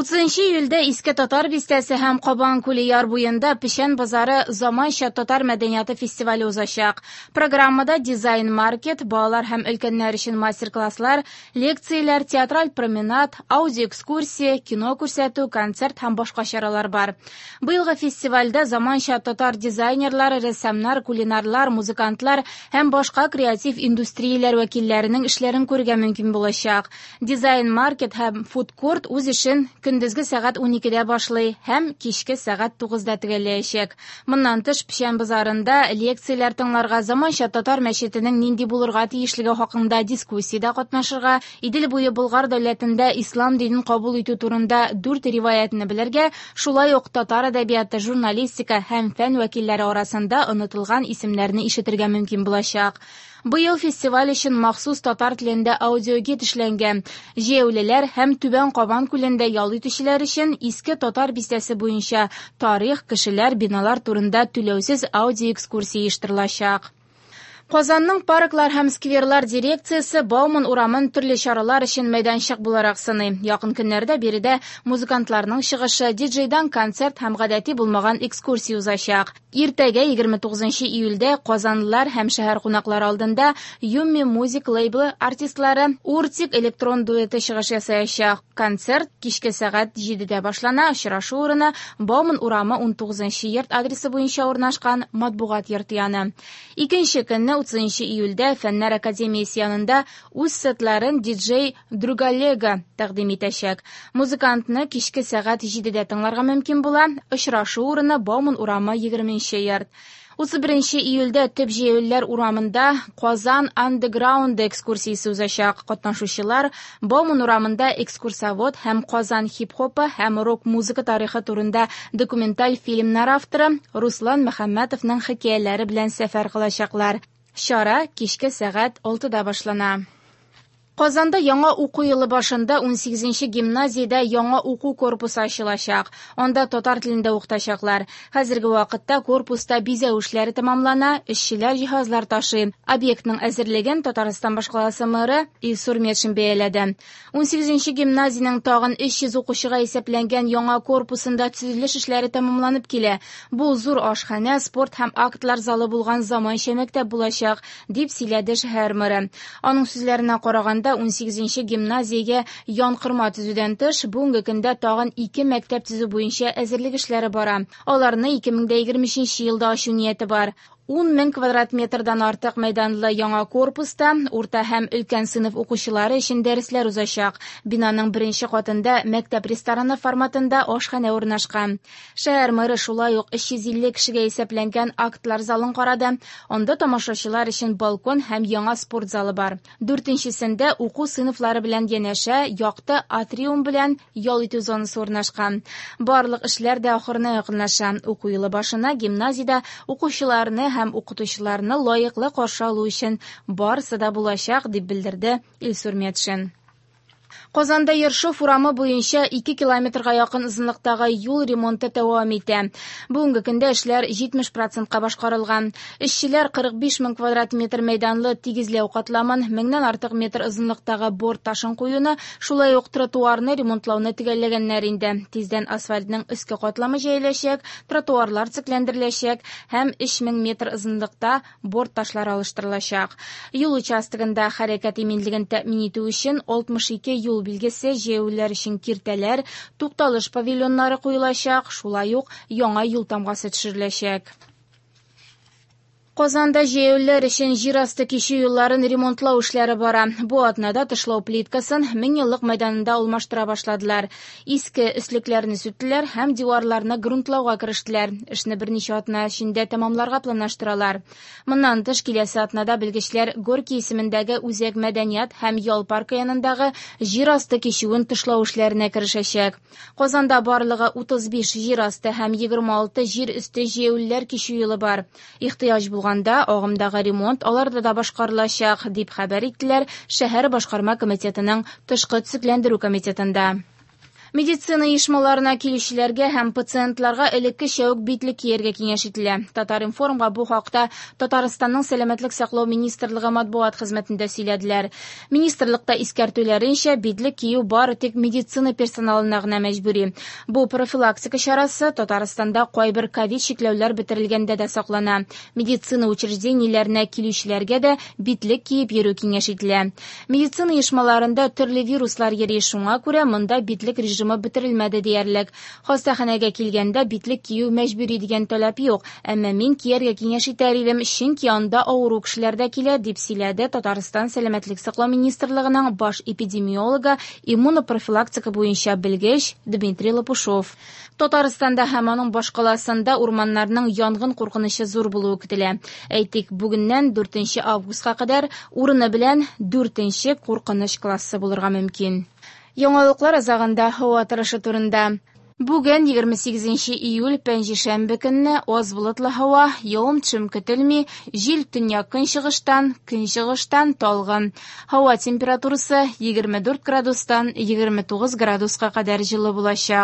30 июльдә Иске Татар бистәсе һәм Кабан күле яр буенда Печән базары заманча татар мәдәнияты фестивале узачак. Программада дизайн-маркет, балалар һәм өлкәннәр өчен мастер-класслар, лекцияләр, театраль променад, аудиоэкскурсия, кино күрсәтү, концерт һәм башка чаралар бар. Быелгы фестивальдә заманча татар дизайнерлары, рәссамнар, кулинарлар, музыкантлар һәм башка креатив индустрияләр вәкилләренең эшләрен күрергә мөмкин булачак. Дизайн-маркет һәм фуд-корт үз эшен көндезге сәгать 12-дә башлый һәм кичке сәгать 9-да төгәлләячәк. Моннан тыш, Печән базарында лекцияләр тыңларга, заманча татар мәчетенең нинди булырга тиешлеге хакында дискуссиядә катнашырга, Идел буе Болгар дәүләтендә ислам динен кабул итү турында дүрт риваятьне белергә, шулай ук татар әдәбияты, журналистика һәм фән вәкилләре арасында онытылган исемнәрне ишетергә мөмкин булачак. Быел фестиваль өчен махсус татар телендә аудиогид эшләнгән. Җәяүлеләр һәм Түбән Кабан күлендә ял итүчеләр өчен Иске Татар бистәсе буенча тарих, кешеләр, биналар турында түләүсез аудиоэкскурсия оештырылачак. Казанның парклар һәм скверлар дирекциясе Бауман урамын төрле чаралар өчен мәйданчык буларак сыный. Якын көннәрдә биредә музыкантларның чыгышы, диджейдан концерт һәм гадәти булмаган экскурсия узачак. Иртәгә, 29 июльдә, казанлылар һәм шәһәр кунаклары алдында Юмми Музик лейблы артистлары Уртик электрон дуэты чыгыш ясаячак. Концерт кичке сәгать 7-дә башлана, очрашу урыны Бауман урамы 19 йорт адресы буенча урнашкан матбугат йорты яны. Икенче көнне, 30 июльдә, Фәннәр академиясе янында үз сетларын диджей Другалега тәкъдим итәчәк. Музыкантны кичке сәгать 7-дә тыңларга мөмкин була. Очрашу урыны Бауман урамы 20 йорт. 31 июльдә төп җәяүлеләр урамында Казан Underground экскурсиясе узачак. Катнашучылар Бауман урамында экскурсовод һәм Казан хип-хопы һәм рок-музыка тарихы турында документаль фильмнар авторы Руслан Мөхәммәтовның хикәяләре белән сәфәр кылачаклар. Чара кичке сәгать 6-да башлана. Казанда яңа уку елы башында 18 гимназиядә яңа уку корпусы ачылачак. Анда татар телендә укытачаклар. Хәзерге вакытта корпуста бизәү эшләре тәмамлана, эшчеләр җиһазлар ташый. Объектның әзерлеген Татарстан башкаласы мэры Илсур Метшин бәяләде. 18 гимназиянең тагын 300 укучыга исәпләнгән яңа корпусында төзелеш эшләре тәмамланып килә. Бу зур ашханә, спорт һәм актлар залы булган заманча мәктәп булачак, дип сөйләде шәһәр мэры. Аның сүзләренә караганда, 18 гимназиягә янкорма төзүдән тыш, бүгенге көндә тагын ике мәктәп төзү буенча әзерлек эшләре бара. Аларны 2023 елда ачу нияте бар. 10 мең квадрат метрдан артык мәйданлы яңа корпуста урта һәм өлкән сыйныф укучылары өчен дәресләр узачак. Бинаның беренче катында мәктәп рестораны форматында ашханә урнашкан. Шәһәр мэры шулай ук 350 кешегә исәпләнгән актлар залын карады. Анда тамашачылар өчен балкон һәм яңа спорт залы бар. Дүртенчесендә уку сыйныфлары белән янәшә якты атриум белән ял итү зонасы урнашкан. Барлык эшләр дә ахырына якынлаша. Уку елы башына гимназиядә укучыларны һәм укытучыларны лаеклы каршы алу өчен барысы да булачак, дип белдерде Илсур Метшин. Казанда Ершов урамы буенча 2 километрга якын озынлыктагы юл ремонты дәвам итә. Бүгенге көндә эшләр 70%-ка башкарылган. Эшчеләр 45 мең квадрат метр мәйданлы тигезләү катламын, меңнән артык метр озынлыктагы борт ташын куюны, шулай ук тротуарны ремонтлауны төгәлләгәннәр инде. Тиздән асфальтның өске катламы җәеләчәк, тротуарлар төзекләндереләчәк һәм 3000 метр озынлыкта борт ташлары алыштырылачак. Юл участогында хәрәкәт иминлеген тәэмин итү өчен 62 юл билгесе, җәяүлеләр өчен киртәләр, тукталыш павильоннары куелачак, шулай ук яңа юл тамгасы төшереләчәк. Казанда җәяүлеләр өчен җир асты кичү юлларын ремонтлау эшләре бара. Бу атнада тышлау плиткасын Меңьеллык мәйданында алмаштыра башладылар. Иске өслекләрне сүттеләр һәм диварларны грунтлауга керештеләр. Эшне берничә атна эчендә тәмамларга планлаштыралар. Моннан тыш киләсе атнада белгечләр Горький исемендәге үзәк мәдәният һәм ял паркы янындагы җир асты кичүен тышлау эшләренә керешәчәк. Казанда барлыгы 35 җир асты һәм 26 җир өсте җәяүлеләр кичү юлы бар. Ихтыяҗ булганда агымдагы ремонт аларда да башкарылачак, дип хәбәр иттеләр шәһәр башкарма комитетының тышкы төзекләндерү комитетында. Медицина оешмаларына килүчеләргә һәм пациентларга элеккечә үк битлек кияргә киңәш ителә. Татар-информга бу хакта Татарстанның Сәламәтлек саклау министрлыгы матбугат хезмәтендә сөйләделәр. Министрлыкта искәртүләренчә, битлек кию бары тик медицина персоналына гына мәҗбүри. Бу профилактика чарасы Татарстанда кайбер ковид чикләүләр бетерелгәндә дә саклана. Медицина учреждениеләренә килүчеләргә дә битлек киеп йөрү киңәш ителә. Медицина оешмаларында төрле вируслар йөри, шуңа күрә монда битлек режимы бетерелмәде диярлек. Хастаханәгә килгәндә битлек кию мәҗбүри дигән таләп юк, әмма мин кияргә киңәш итәр идем, чөнки анда авыру кешеләр дә килә, дип сөйләде Татарстан Сәламәтлек саклау министрлыгының баш эпидемиологы, иммунопрофилактика буенча белгеч Дмитрий Лопушов. Татарстанда һәм аның башкаласында урманнарның янгын куркынычы зур булуы көтелә. Әйтик, бүгеннән 4 августка кадәр урыны белән 4 куркыныч классы булырга мөмкин. Яңалыклар азагында һава торышы турында. Бүген 28 июль пәнҗешәмбе көнне аз болытлы һава, явым-төшем көтелми, җил төньяк-көнчыгыштан, көнчыгыштан талгын. Һава температурасы 24 градустан 29 градуска кадәр җылы булачак.